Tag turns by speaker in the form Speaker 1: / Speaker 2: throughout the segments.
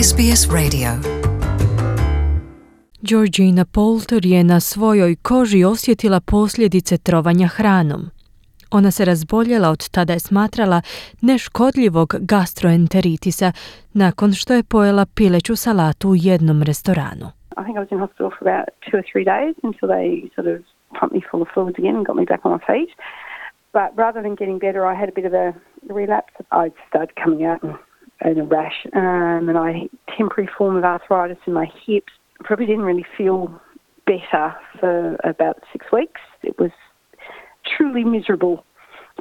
Speaker 1: SBS Radio.
Speaker 2: Georgina Poulter je na svojoj koži osjetila posljedice trovanja hranom. Ona se razboljela, od tada je smatrala neškodljivog gastroenteritisa nakon što je pojela pileću salatu u jednom restoranu.
Speaker 3: I think I was in hospital for about 2 or 3 days until they sort of pumped me full of fluids again and got me back on my feet. But rather than getting better, I had a bit of a relapse. I started coming out in a rash and I had a temporary form of arthritis in my hips. Probably didn't really feel better for about 6 weeks. It was truly miserable,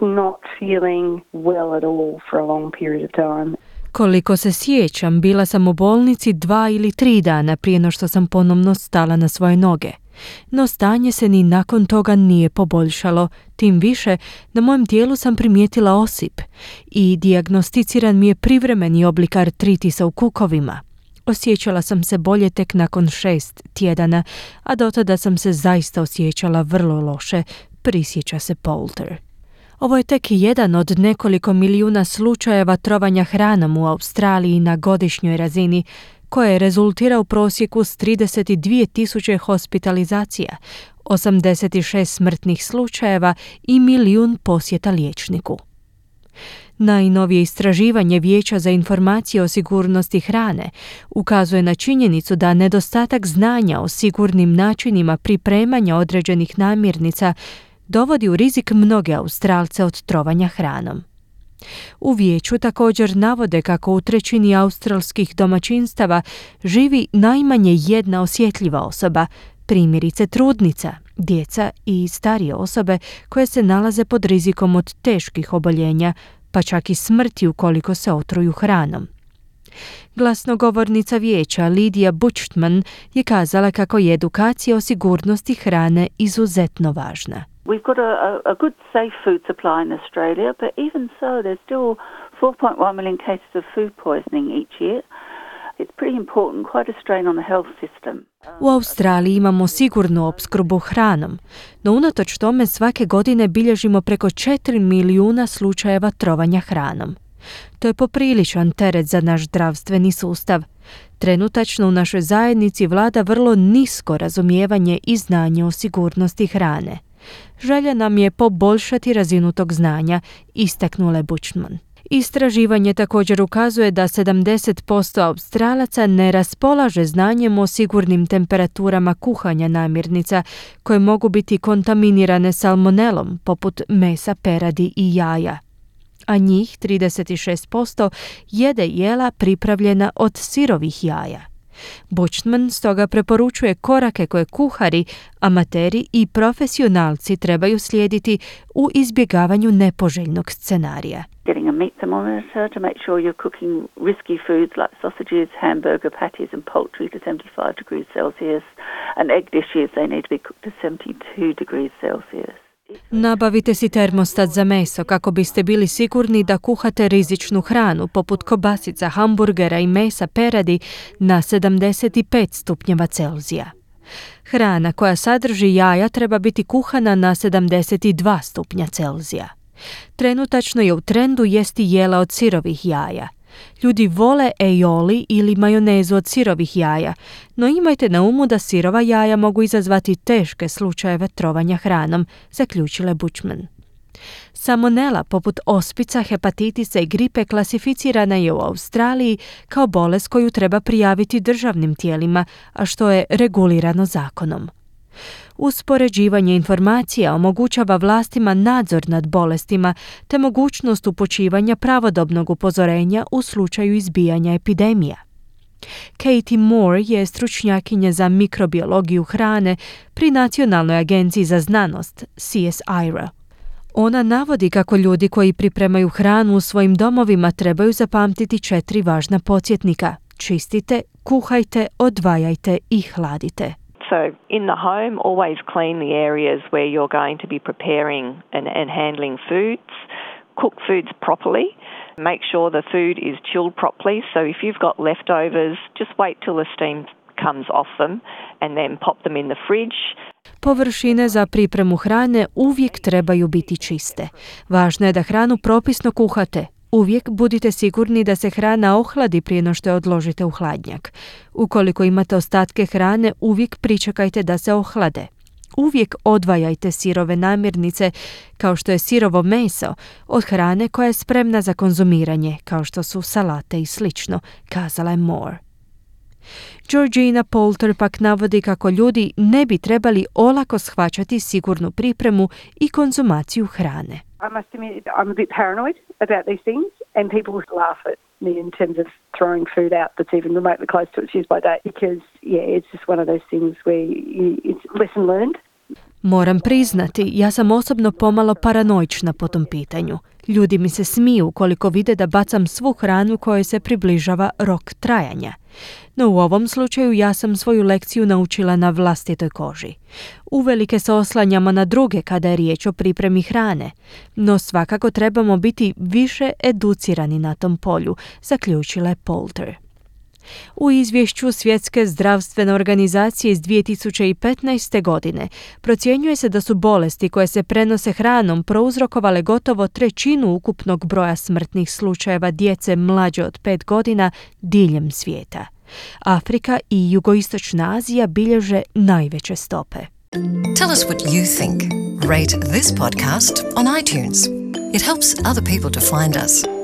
Speaker 3: not feeling well at all for a long period of time.
Speaker 2: Koliko se sjećam, bila sam u bolnici 2 ili 3 dana prije no što sam ponovno stala na svoje noge. No stanje se ni nakon toga nije poboljšalo, tim više na mojem tijelu sam primijetila osip i dijagnosticiran mi je privremeni oblik artritisa u kukovima. Osjećala sam se bolje tek nakon 6 tjedana, a do tada sam se zaista osjećala vrlo loše, prisjeća se Poulter. Ovo je tek jedan od nekoliko milijuna slučajeva trovanja hranom u Australiji na godišnjoj razini, koje rezultira u prosjeku s 32.000 hospitalizacija, 86 smrtnih slučajeva i 1 milijun posjeta liječniku. Najnovije istraživanje Vijeća za informacije o sigurnosti hrane ukazuje na činjenicu da nedostatak znanja o sigurnim načinima pripremanja određenih namirnica dovodi u rizik mnoge Australce od trovanja hranom. U vijeću također navode kako u 1/3 australskih domaćinstava živi najmanje jedna osjetljiva osoba, primjerice trudnica, djeca i starije osobe koje se nalaze pod rizikom od teških oboljenja, pa čak i smrti ukoliko se otruju hranom. Glasnogovornica vijeća Lidija Buchtman je kazala kako je edukacija o sigurnosti hrane izuzetno važna.
Speaker 4: We've got a good safe food supply in Australia, but even so, there's still 4.1 million cases of food poisoning each year. It's pretty important, quite a strain on the health system.
Speaker 2: U Australiji imamo sigurnu opskrbu hranom, no unatoč tome svake godine bilježimo preko 4 milijuna slučajeva trovanja hranom. To je popriličan teret za naš zdravstveni sustav. Trenutačno u našoj zajednici vlada vrlo nisko razumijevanje i znanje o sigurnosti hrane. Želja nam je poboljšati razinu tog znanja, istaknula je Buchtman. Istraživanje također ukazuje da 70% Australaca ne raspolaže znanjem o sigurnim temperaturama kuhanja namirnica koje mogu biti kontaminirane salmonelom, poput mesa, peradi i jaja. A njih 36% jede jela pripravljena od sirovih jaja. Buchtman stoga preporučuje korake koje kuhari, amateri i profesionalci trebaju slijediti u izbjegavanju nepoželjnog scenarija.
Speaker 4: Getting a meat thermometer to make sure you're cooking risky foods like sausages, hamburger patties and poultry to 75 degrees Celsius, and egg dishes, they need to be cooked to 72 degrees Celsius.
Speaker 2: Nabavite si termostat za meso kako biste bili sigurni da kuhate rizičnu hranu poput kobasica, hamburgera i mesa peradi na 75 stupnjeva Celzija. Hrana koja sadrži jaja treba biti kuhana na 72 stupnja Celzija. Trenutačno je u trendu jesti jela od sirovih jaja. Ljudi vole aioli ili majonezu od sirovih jaja, no imajte na umu da sirova jaja mogu izazvati teške slučajeve trovanja hranom, zaključila je Buchtman. Salmonela, poput ospica, hepatitisa i gripe, klasificirana je u Australiji kao bolest koju treba prijaviti državnim tijelima, a što je regulirano zakonom. Uspoređivanje informacija omogućava vlastima nadzor nad bolestima te mogućnost upućivanja pravodobnog upozorenja u slučaju izbijanja epidemija. Katie Moore je stručnjakinja za mikrobiologiju hrane pri Nacionalnoj agenciji za znanost CSIRO. Ona navodi kako ljudi koji pripremaju hranu u svojim domovima trebaju zapamtiti 4 važna podsjetnika: čistite, kuhajte, odvajajte i hladite.
Speaker 5: So in the home, always clean the areas where you're going to be preparing and handling foods. Cook foods properly. Make sure the food is chilled properly. So if you've got leftovers, just wait till the steam comes off them and then pop them in the fridge.
Speaker 2: Površine za pripremu hrane uvijek trebaju biti čiste. Važno je da hranu propisno kuhate. Uvijek budite sigurni da se hrana ohladi prije no što je odložite u hladnjak. Ukoliko imate ostatke hrane, uvijek pričekajte da se ohlade. Uvijek odvajajte sirove namirnice, kao što je sirovo meso, od hrane koja je spremna za konzumiranje, kao što su salate i slično, kazala je Moore. Georgina Poulter pak navodi kako ljudi ne bi trebali olako shvaćati sigurnu pripremu i konzumaciju hrane.
Speaker 3: I must admit, I'm a bit paranoid about these things, and people laugh at me in terms of throwing food out that's even remotely close to its use-by date, because, it's just one of those things where it's lesson learned.
Speaker 2: Moram priznati, ja sam osobno pomalo paranoična po tom pitanju. Ljudi mi se smiju koliko vide da bacam svu hranu kojoj se približava rok trajanja. No u ovom slučaju ja sam svoju lekciju naučila na vlastitoj koži. Uvelike se oslanjamo na druge kada je riječ o pripremi hrane, no svakako trebamo biti više educirani na tom polju, zaključila je Poulter. U izvješću Svjetske zdravstvene organizacije iz 2015. godine procjenjuje se da su bolesti koje se prenose hranom prouzrokovale gotovo 1/3 ukupnog broja smrtnih slučajeva djece mlađe od 5 godina diljem svijeta. Afrika i jugoistočna Azija bilježe najveće stope.
Speaker 1: Tell us what you think. Rate this podcast on iTunes. It helps other people to find us.